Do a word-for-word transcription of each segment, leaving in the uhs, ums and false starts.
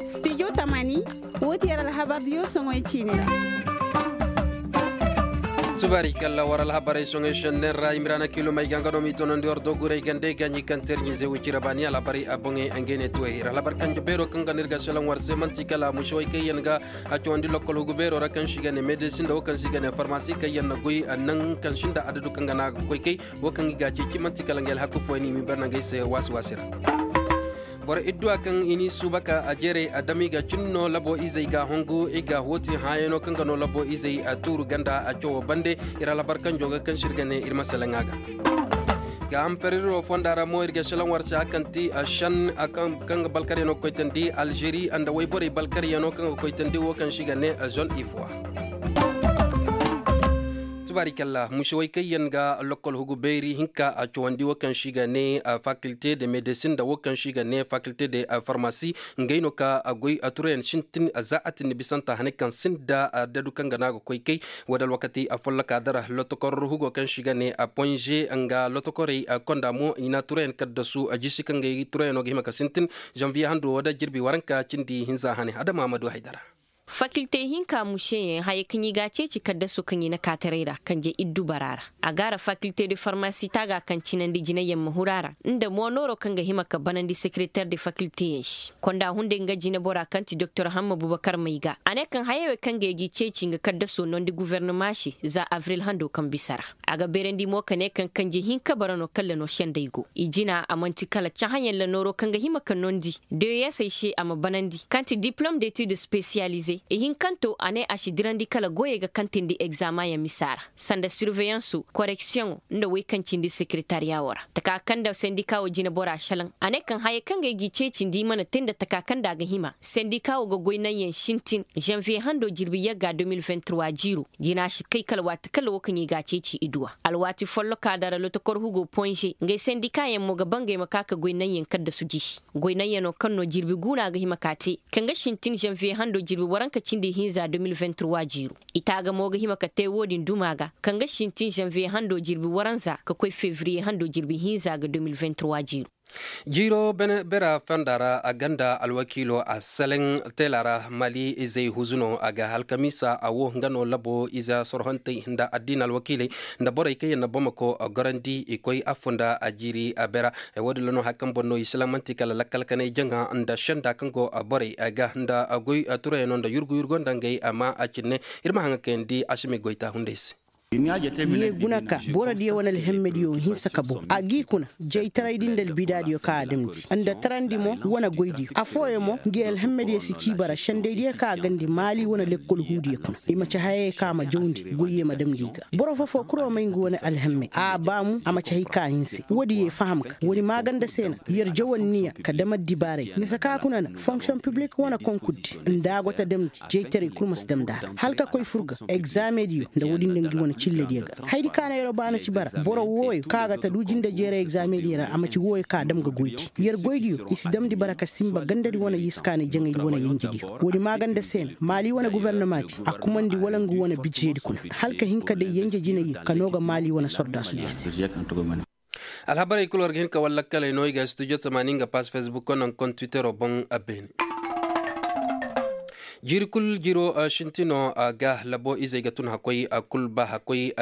Studio tamani, woo ti yer alhabar diyo soŋoy ciini ra. Subaari kalla war alhabarey soŋoy šenner ra imiraana kiilomey ga nga no m'i tonandi war doguray gandey ga ɲi kaŋ terɲi ze wicira baani alhabarey a boŋey ngey ne tuwey ir alhabar kanjo beero kaŋ ga no ir ga šelaŋ war se man'ti kala mušewey kaŋ yaŋ ga a cawandi lokkol hugu beero ra kaŋ se i ga ne medesin nda wo kaŋ se i ga ne farmasi kaŋ yaŋ na goy naŋ kaŋ sinda adadu kaŋ ga no a ga koy kay. Wo kaŋ i ga a ceeci man'ti kala nga alhaku fooyaŋ no i m'i bare nangey se waasi waasi ra. Boro idduwa kaŋ i n'i suuba ka a jeeray a dam i ga cin no labo izey ga a hongu i ga a hooti hãayano kaŋ ga no labo izey a tuuru ganda a cawo bande. Ir alhabar kanjo ga kaŋ se ir ga ne ir ma salaŋ a ga. Ga hamferiroo fonda ra mo ir ga salaŋ war se a kaŋ ti a šan kaŋ ga balkaryanoo ga koy tandi alžeri nda woyborey balkaryanoo kaŋ ga koy tandi wo kaŋ se i ga ne zone ivoire. Tubaari kalla mušewey kaŋ yaŋ ga lokkol hugu beeri hinka a cawandi wo kaŋ se i ga ne fakilte de medesin nda wo kaŋ se i ga ne fakilte de farmasi. Ngey no ka goy a turayaŋ sintin za a tindi bisanta hane kaŋ sinda dadu kaŋ ga no a ga koy kay. Wo- din alwakati a folloka dara lotokor hugo kaŋ se i ga ne ponze nga lotokorey konda mo i na turayaŋ kaddasu jisi kaŋ ga turayaŋo ga hima ka sintin. Zanviye hando wo- din jirbi waranka cindi hinza hane adama ma du haydara. Fakilte hinka mušeyaŋ haya kaŋ i ga a ceeci kaddaso kaŋ i na kaataray ra kanje iddu bara ra. A ga a ra fakilte de farmasi taaga kaŋ cinandi jinayyaŋ ma huru a ra nda mo nooro kaŋ ga hima ka banandi sekereter de fakilte yaŋ se. Konda hunday nga jinebora kaŋ ti doktor hamma bubakar may ga a ne kaŋ hayawey kaŋ ga i g'i ceeci nga kaddaso nondi guvernama se za avril hando kaŋ bisa ra. A ga beerandi mo ka ne kaŋ kanje hinka bara no kalla no sendey go i jina a man'ti kala cahãyaŋ ra nooro kaŋ ga hima ka nondi deweyeesey se a ma banandi kaŋ ti diplom detid spesiyalize ihinkanto a ne a si dirandi kala goyey ga kaŋ tindi egzamayaŋ misa ra sanda sirveyanso koreksiyoŋo nda wey kaŋ cindi sekeretariya wo ra taka kaŋ nda sendika wo jinebora salaŋ a ne kaŋ hayey kaŋ ga ay g'i ceeci nda i mana te nda taka kaŋ nda a ga hima sendika wo ga goy naŋyaŋ sintin zanviye hando jirbi yagga de mil vingt trois jiiro jina si kay kala waati kala wo kaŋ i ga a ceeci iduwa alwaati folloka dara lotokor hugo ponze ngey sendikayaŋ mo ga bangey ma ka ka goy naŋyaŋ kaddasu jisi goy naŋyaŋo kaŋ no jirbi guuna ga hima ka te kaŋ ga sintin zanviye hando jirbi waranka cindi hinza de mil vingt trois jiiro i taaga mo ga hima ka te wo- din duma ga kaŋ ga sintin zanviye hando jirbi waranza ka koy fevriye hando jirbi hinza ga de mil vingt trois jiiro. Jiiro bera fanda ra a ganda alwakiilo a seleŋ teela ra mali izey huzuno a ga halkamiisa a wo nga no labo ize sorhontey nda addiina alwakiiley nda borey kaŋ yaŋ na bamako gorandi i koy afo nda a jiiri a bera. Wo- din ra no hari kaŋ boŋ no i seleŋ man'ti kala lakkal kanay jaŋa nda senda kaŋ go borey ga nda goy turayaŋo nda yurgu yurgo nda ngey amma a cinne ir ma haŋa kayandi a si ma i goy taahunday se. Ye guna ka boro diyo wane alhemmediyo hinsa ka boŋ a g'i kuna jaytaraydi nda albidaadiyo kaŋ a damndi nda tarandi mo wane goydiyo affooyaŋ mo ngi alhemmediyo si ci bara sendaydiyo kaŋ a gandi maali wane lekkol huudiyo kuna i ma ci hayey kaŋ a ma jawndi goyye ma damndi i ga boro fofo kuro may ngi wane alhemme a baamu a ma ci hay kaŋ a hinse woodiyo i faham ga woodi maaganda se na yer jaw anniya ka dam addibaaray mise kaŋ a kuna na fonksiyoŋ piblik wane konkuddi nda a go ta damndi jaytaray kul ma si damndi a ra hala ka koy fur ga egzaamediyo nda woodi nda ngi wane cillediyo ga haydi kaŋ a na yeroo ba na ci bara boro wooyo kaŋ a ga ta du jinde jeeray egzaamediyo ra a ma ci wooyo kaŋ a dam ga goydi yer goydiyo i si damndi bara ka sinba gandadi wane yiskaanay jaŋaydi wane yenjediyo woodi maaganda se na maali wane gufornamaadi a kumandi wala ngu wane bijedi kuna hala ka hin ka day yenje jinay ka noo ga maali wane sordaasudiyo se. Alhabarey kul war ga hin ka wallakkaley no i ga studio tamaani nga pass facebook ko naŋ kon twittero boŋ a beene. Jiiri kul jiiro sintino ga labo izey ga tun hakkoy kul ba hakkoy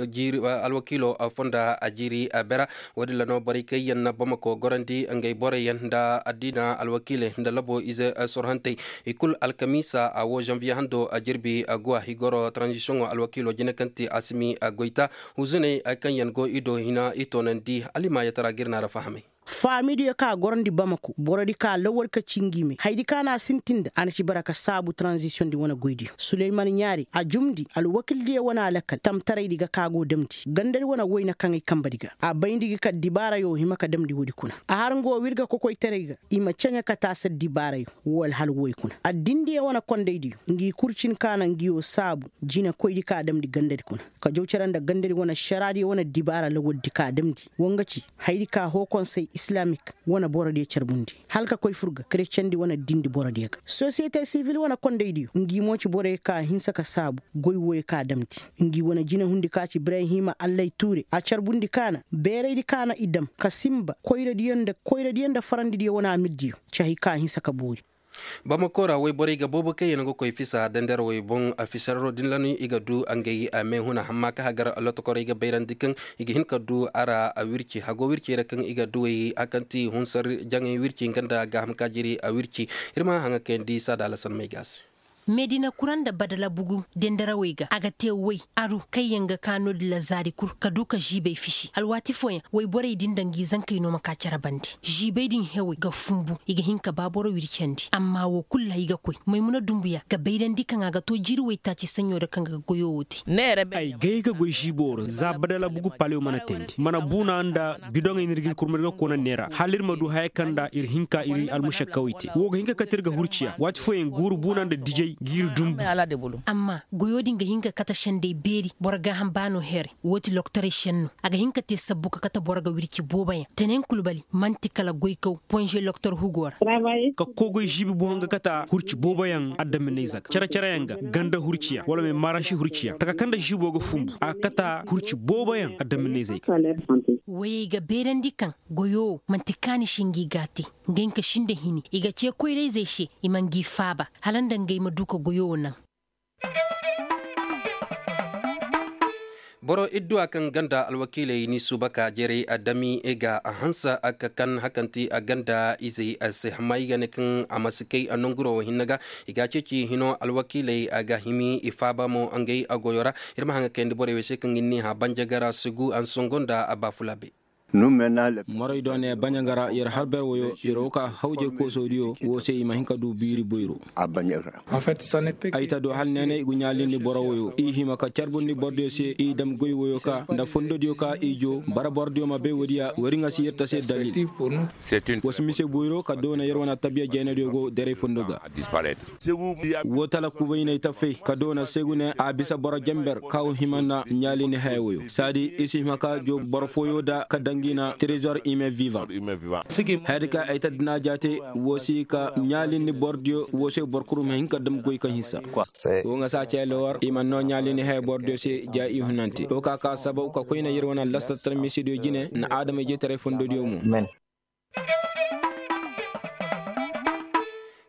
jiiri alwakiilo fonda a jiiri bera. Wo- din ra no borey kaŋ yaŋ na bamako gorandi ngey borey yaŋ nda addiina alwakiiley nda labo ize sorhantey i kul alkamiisa a wo zanviye hando a jirbi guwa i goro taranzisiyoŋo alwakiilo jine kaŋ ti asimi goyta huzuney kaŋ yaŋ go i do hina i toonandi hala i ma yatara ga ir na ra fahamay. Faamidiyo kaŋ a gorandi bamako borodi kaŋ a lawal ka ci ngi me haydi kaŋ a na a sintin nda a na ci bara ka saabu taranzisiyoŋ di wane goydiyo suleyman ɲaari a jumndi alwakildiyo wane alakal tamtaraydi ga kaŋ a go damndi gandadi wane wayna kaŋ ay kambadi ga a bayndi ga ka dibaarayo hima ka damndi woodi kuna a har nga wo w'ir ga kokoytaray ga i ma ceɲe ka taasi addibaarayo woo alhal wooyo kuna addindiyo wane kondaydiyo ngi kul cin kaŋ a na ngiyo saabu jinekoydi kaŋ a damndi gandadi kuna ka jaw cere nda gandadi wane ašaraadiyo wane addibaara lawaldi kaŋ a damndi woo nga ci haydi kaŋ a hoo konsey Islamik wane borodiyo carbundi hala ka koy fur ga kerecandi wane dindi borodiyo ga. Sosiyete sivil wane kondaydiyo ngi mo ci borey ka hinsa ka saabu goy woyo ka damndi. Ngi wane jinehundi ka ci ibrahima allay tuure a carbundi kaana beeraydi kaana i dam ka sinba koyradiyo nda farandidiyo wane amirdiyo. Cahi ka hinsa ka boori. Bamako ra woyborey ga boobo kaŋ yaŋ ga koy fisa dandarawey boŋ a fisarro din lanu i ga du ngey meehuna hamma ka hagar lotokorey ga bayrandi kaŋ i ga hin ka du a ra wirci hago wircey ra kaŋ i ga duwey hakanti hunsar jaŋay wirci nga nda gaaham kaajiri wirci. Ir ma haŋa kayandi saada alasan may ga a se. Medina kura nda badala bugu denderawey ga a ga te woy aru kaŋ yaŋ ga ka no-din ra zaari kul ka du ka ziibey fisi alwaati fooyaŋ woyborey din nda ngi zankey no ma ka cere bande. Ziibey din hewey ga funbu i ga hin ka ba boro wircandi amma wo kul ra i ga koy maymuna dumbuya ga bayrandi kaŋ a ga to jiiri woytaaci saɲɲo ra kaŋ ga goyo wo te. Ay gay ga goy ziibo ra za badala bugu palew mana teendi mana buuna nda bidoŋey no ir ga ir kurma ir ga koona neera hala ir ma du haya kaŋ nda ir hin ka ir almušakkawey te wo ga hin ka kate ir ga hurciya waati fooyaŋ guuru buuna nda dijey ga ir dumbu. Amma goyo din ga hin ka kate sendey beeri boro gaaham baano here. Wo ti loktorey senno a ga hin ka te sabbu ka kate boro ga wirci booboyaŋ tenen kulbali man'ti kala goykaw ponze loktor hugo ra. Ka kogoy ziibi boŋ ga kate hurci booboyaŋ addaminayze ga cere-cereyaŋ ga ganda hurciyaŋ wala me marasi hurciyaŋ taka kaŋ nda ziibo ga funbu a ga kate hurci booboyaŋ addaminayzey ga. Woyey ga beerandi kaŋ goyo wo man'ti kaani se ngi ga a te. Nga hinka sinda hini i ga ce koyrayzey se i ma ngi faaba hala nda ngey ma du ka goyo wo naŋ. Boro idduwa kaŋ ganda alwakiiley ni suuba ka jerey a dami ga a hanse a ka kan hakanti a ganda izey a se amma i ga ne kaŋ a ma si kay a nanguro wo hinne ga. I ga a ceeci hino alwakiiley a ga himi i faaba mo ngey a goyo ra. Ir ma haŋa kayandi borey wo se kaŋ ir ni hã banjagara sugu a na songo nda a baafulaabe. Moray do ne baɲangara yer har ber woyo yer wo ka hawjay koosodiyo wo se i ma hin ka du biiri boyro. Ay ta do hala neene i gu ɲaalindi boro woyo i hima ka carbundi borodiyo se i dam goy woyo ka nda fondodiyo ka i jo bara borodiyo ma bay woodiya wari ŋa si yer ta se dalil. Wa si mise boyro ka doona yer wane tabiya jaynadiyo go daray fondo ga. Wo tala kubayney tafey ka doona segune a bisa boro jenber ka wo hima nda ɲaalindi haya woyo saadi i si hima ka joo boro fooyo da ka dangi na trezor ime vivan. Haya di ka ay ta dina jaate wo si ka ɲaalindi borodiyo wo se boro kul ma hin ka dam goy kaŋ hinsa. Wo ŋa si a cee lowar i mana noo ɲaalindi haya borodiyo se ja i hunante wo ka ka sabaw ka koyne yer wane lastatar misidiyo jine nda adama-ijetaray fondodiyo mo.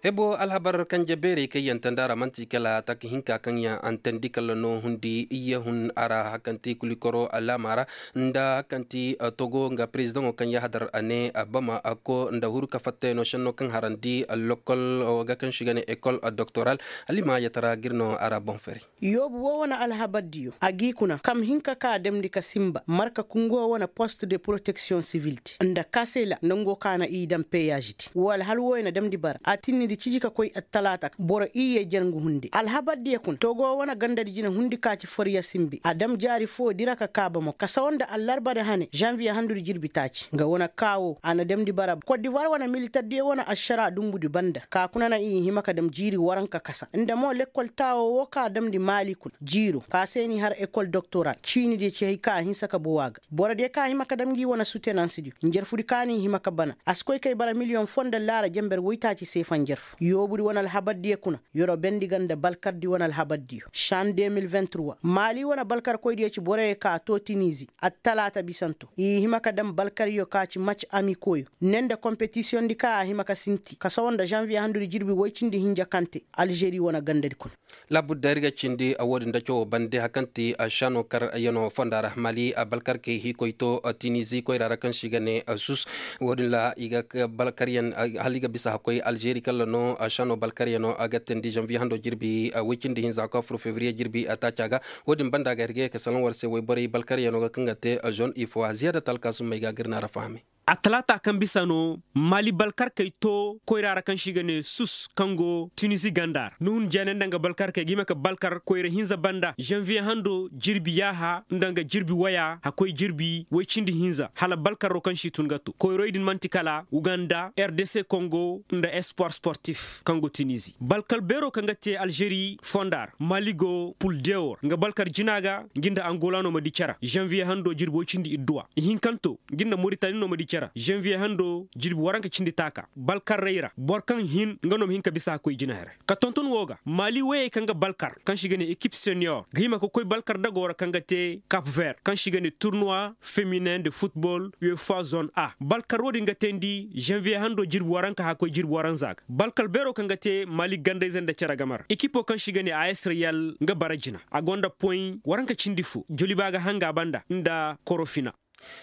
Hebo alhabar kanje beerey kaŋ yaŋ tanda ra man'ti kala taka hinka kaŋ yaŋ antandi kala no hundi iyye hun a ra hakanti kulikoro alaama ra nda hakanti togo nga perezidaŋo kaŋ yahadar a ne bama ko nda huru ka fattay no senno kaŋ harandi lokol ga kaŋ si ga ne ekol doktoral. Alima yatara ga ir no a ra boŋ fari. Yoobu wo wane alhabardiyo a g'i kuna kam hin ka ka damndi ka sinba marka kungo wane post de poroteksiyoŋ sivildi nda kasela nongo ka na i daŋ peyazdi wo alhal wooyo na damndi bara a tinnidi ciji ka koy attalaata boro iyye jangu hunde alhabardiyo kuna togo wane gandadi jine hundi ka ci forya sinbi a daŋ jaari foo dira ka kaaba mo kasawa nda allarba di hane zanviye handudi jirbi taaci nga wane kaa wo a na damndi bara kodivar wane militardiyo wane ašara dumbudi banda ka kuna na i hima ka daŋ jiiri waranka kasa nda mo lekkol taawo wo ka damndi maali kuna jiiro ka se n'i har ekol doktoral ciinidiyo ci hay ka a hinsa ka bow a ga borodiyo ka hima ka dam ngi wane sutenansidiyo njarfudi ka n'i hima ka bana a si koy kay bara miliyoŋ foo nda laara jenber woytaaci seefa njarfu yoobudi wane alhabardiyo kuna yorobendi ga nda balkardi wane alhabardiyo san de mil vingt trois maali wane balkarkoydiyo ci boroyo ka too tinizi attalaata bisanto i hima ka dam balkaryo ka ci mac amikoyo ne nda kompetisiyondi ka a hima ka sinti kasawa nda zanviye handudi jirbi woy cindi hinja kaŋ te alžeri wane gandadi kuna. Laabudda ir ga cindi woodin da cawo bande hari kaŋ ti šano karyaŋo fonda ra mali balkarkey hiikoy to tinizi koyra ra kaŋ se i ga ne sus. Woodin ra i ga balkaryaŋ hala i ga bisa hakkoy alžeri kala no šano balkaryaŋo ga teendi zanviye hando jirbi woy cindi hinza ka fur fevriye jirbi taaca ga. Woodin banda ga ir ga ye ka salaŋ war se woyborey balkaryaŋo ga kaŋ ga te zone ifo ziyaada talka summey ga ga ir na ra fahamay. Atalaata kaŋ bisa no mali balkarkey to koyra ra kaŋ se i ga ne sus kaŋ go tunizi ganda ra nuhun jeene nda nga balkarkey ga hima ka balkar koyra hinza banda zanviye hando jirbi yaaha nda nga jirbi waya hakkoy jirbi woy cindi hinza hala balkaro kaŋ se i tun ga to koyroy din man'ti kala uganda rdc kongo nda espoir sportif kaŋ go tunizi balkar beero kaŋ ga te alžeri fonda ra mali go pul dewor nga balkar jina ga ngi nda angola no ma di care zanviye hando jirbi woy cindi idduwa ihinkanto ngi nda moritani no ma di care. Zanviye hando jirbi waranka cindi taaka balkarrey ra boro kaŋ hin nga no ma hin ka bisa ka koy jina here. Ka tonton wo ga maali woyey kaŋ ga balkar kaŋ se i ga ne ekip seniyor ga hima ka koy balkar dago ra kaŋ ga te kap ver kaŋ se i ga ne turnuwa feminen de futbol uefa zone a balkar wo- din ga teendi zanviye hando jirbi waranka haka koy jirbi waranza ga balkar beero kaŋ ga te maali gandayze nda cere game ra ekipo kaŋ se i ga ne a s reyal nga bara jina a gonda poy waranka cindi fo joliba ga hanga banda nda korofina.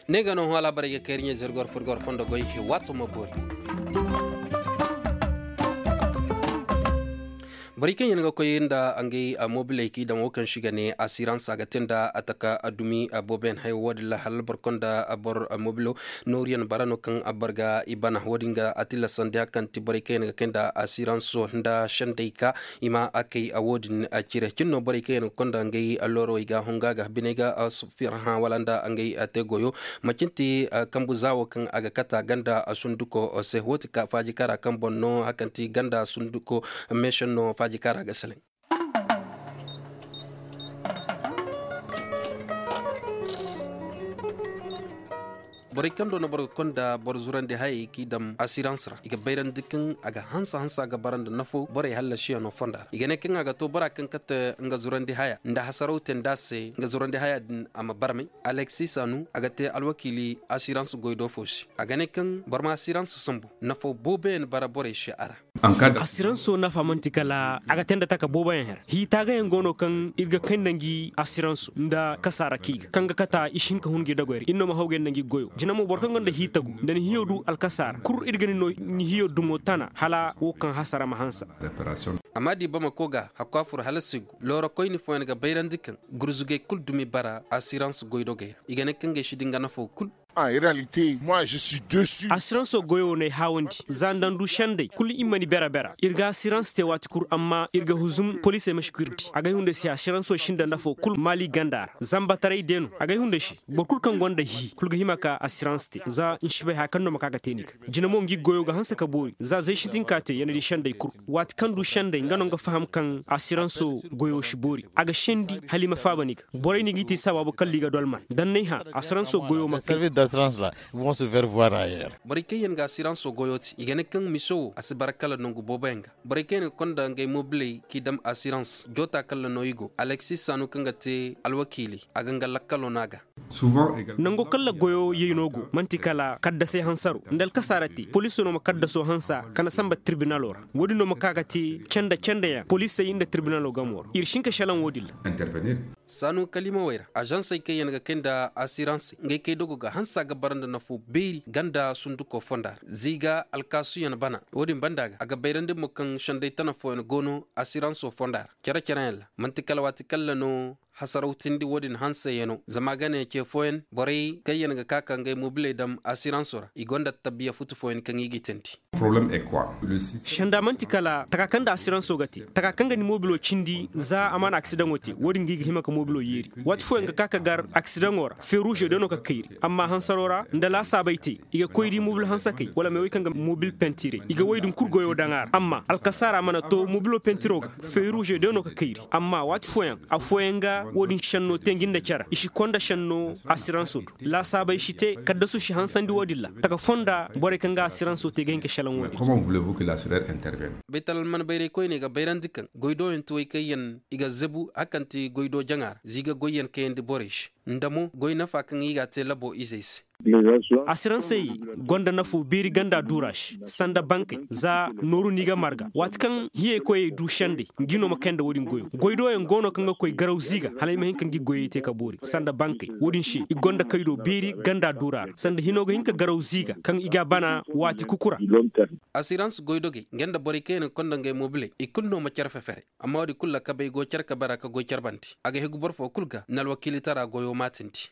Ne ga no hõ alhabarey ga kay ir ɲa zirgor furgor fondo goy. Waato ma boori. Borey kaŋ yaŋ ga koy nda ngey mobiley k'i daŋ wo kaŋ se i ga ne asirans a ga te nda taka dumi booboyaŋ hayo wo- din ra hala boro kaŋ nda boro mobilo nooruyaŋ bara no kaŋ boro ga i bana wo- din ga a tillasandi hari kaŋ ti borey kaŋ yaŋ ga kay nda asiranso nda sendey ka i ma a kay wo- din cire cine no borey kaŋ yaŋ ga koy nda ngey loorowey ga hunga ga biney ga firaha wala nda ngey te goyo. Macin ti kambu za wo kaŋ a ga kata ganda sunduko se wo- ti ka faaji kara kaŋ boŋ no hari kaŋ ti ganda sunduko meesenno faaji kara ga selaŋ. Borey kaŋ do no boro ga konda boro zurandi hayey k'i dam asirans ra i ga bayrandi kaŋ a ga hansa hansa ga bara nda nafo borey hallasiyaŋo fonda ra i ga ne kaŋ a ga to bora kaŋ kate nga zurandi haya nda hasaraw te nda a se nga zurandi haya din a ma barmay. Alexis sanu a ga te alwakiili asirans goydo fo se a ga ne kaŋ boro ma asirans sambu nafo booboyaŋ bara borey se a ra. Asiransoo nafa man'ti kala a ga tee nda taka booboyaŋ hera hii taagayaŋ go no kaŋ ir ga kay nda ngi asiransoo nda kasaara kii ga kaŋ ga kata i si hin ka hun ngi dagoy ra ir no ma hawgay nda ngi goyoo jina mo boro kaŋ gonda hii tagu nda ni hiyoo du alkasaara kul ir ga ni no ni hiyoo dumo tana hala woo kaŋ hasara ma hanse. Amma da i bamako ga hakku a fur hala si gu loorokoyni fooyaŋ ga bayrandi kaŋ gurzugay kul dumi bara asirans goydogey ra i ga ne kaŋ gay si di nga nafoo kul. Asiransoo goyoo no ay haawandi za nda ndu sendey kul i ma ni bera bera ir ga asirans tee waati kul amma ir ga huzum poliisey ma si ku ir di agay hunday se asiransoo si nda nafoo kul maali ganda ra zambataray de no agay hunday se boro kul kaŋ gonda hii kul ga hima ka asirans tee za n'si bay haya kaŋ no ma ka ga tee ni ga jina mo ngi goyoo ga hanse ka boori za zay sintin ka tee ya na di sendey kul waati kaŋ ndu sendey nga no nga faham kaŋ asiransoo goyoo si boori a ga sendi hala i ma faaba ni ga borey no i g'i tee sabaabu kala i ga dolman da n'ay hã asiransoo goyoo ma kay. Borey kaŋ yaŋ ga asiransoo goyoo tee i ga ne kaŋ miso woo a si bara kala nangu booboyaŋ ga borey kaŋ yaŋ ga konda ngey mobiley k'i dam asirans joota kala no i go aleksis saanu kaŋ ga tee alwakiili a ga nga lakkaloo no a ga. Nango kalla goyoo yey no go man'ti kala kaddasey hansaroo nda alkasaara tee poliisoo no ma kaddasoo hansa ka na samba tirbinaloo ra woodin no ma ka ga tee canda candayaŋ poliisey nda tirbinaloo gamoo ra ir si hin ka šelaŋ woodin ra. Saanu kaliimawey ra azansey kaŋ yaŋ ga kay nda asiransey ngey kay dogo ga hanse a ga bara nda nafoo beeri ganda sundukoo fonda ra ziiga alkaasuyaŋ bana woodin banda ga a ga bayrandi mo kaŋ senday tana fooyaŋ go no asiransoo fonda ra cere-cereyaŋ ra man'ti kala waati kalla no hasarawtindi woodin hanseyaŋo zama a ga ne ce fooyaŋ borey kaŋ yaŋ ga ka ka ngey mobiley dam asiransoo ra i gonda tabiya futu fooyaŋ kaŋ i g'i teendi. Senda man'ti kala taka kaŋ nda asiransoo ga te taka kaŋ ga ni mobiloo cindi za a mana aksidaŋoo te woodin ga i ga hima ka mobiloo yeeri waati fooyaŋ ga ka ka gar aksidaŋoo ra feruuze day no ka kayri amma hansaroo ra nda laasaabey te i ga koy di mobil hansakey wala mee wey kaŋ ga mobil pentiray i ga wey din kul goyoo daŋ a ra amma alkasaara mana to mobiloo pentiroo ga feruuze day no ka kayri amma waati fooyaŋ afooyaŋ ga woodin šennoo te ngi nda cere i si konda šennoo asiransoo do laasaabey si te kaddasu si hansandi woodin ra taka fonda borey kaŋ ga asiransoo te ga hin ka šelaŋ woodin. Baytal alman bayray koyney ga bayrandi kaŋ goydooyaŋ ti wey kaŋ yaŋ i ga zabu hari kaŋ ti goydoo jaŋa ra ziiga goyyaŋ kayandi borey se nda mo goy nafa kaŋ i g'a te laboo izey se. Asiransey gonda nafoo beeri ganda duura se sanda bankey za nooru no i ga marga waati kaŋ hiyey koyey du sendey ngi no ma kay nda woodin goyoo goydooyaŋ go no kaŋ ga koy garaw ziiga hala ay ma hin ka ngi goyey te ka boori sanda bankey woodin se i gonda kaydoo beeri ganda duura ra sanda hinoo ga hin ka garaw ziiga kaŋ i g'a bana waati kuku ra. Asirans goydogey nga nda borey kaŋ yaŋ ga konda ngey mobiley i kul no ma cere fefere amma woodin kul ra kabey go cere kabe ra ka goy cere bande a ga hegu boro foo kul ga n'alwakiilitara goyoo maatindi.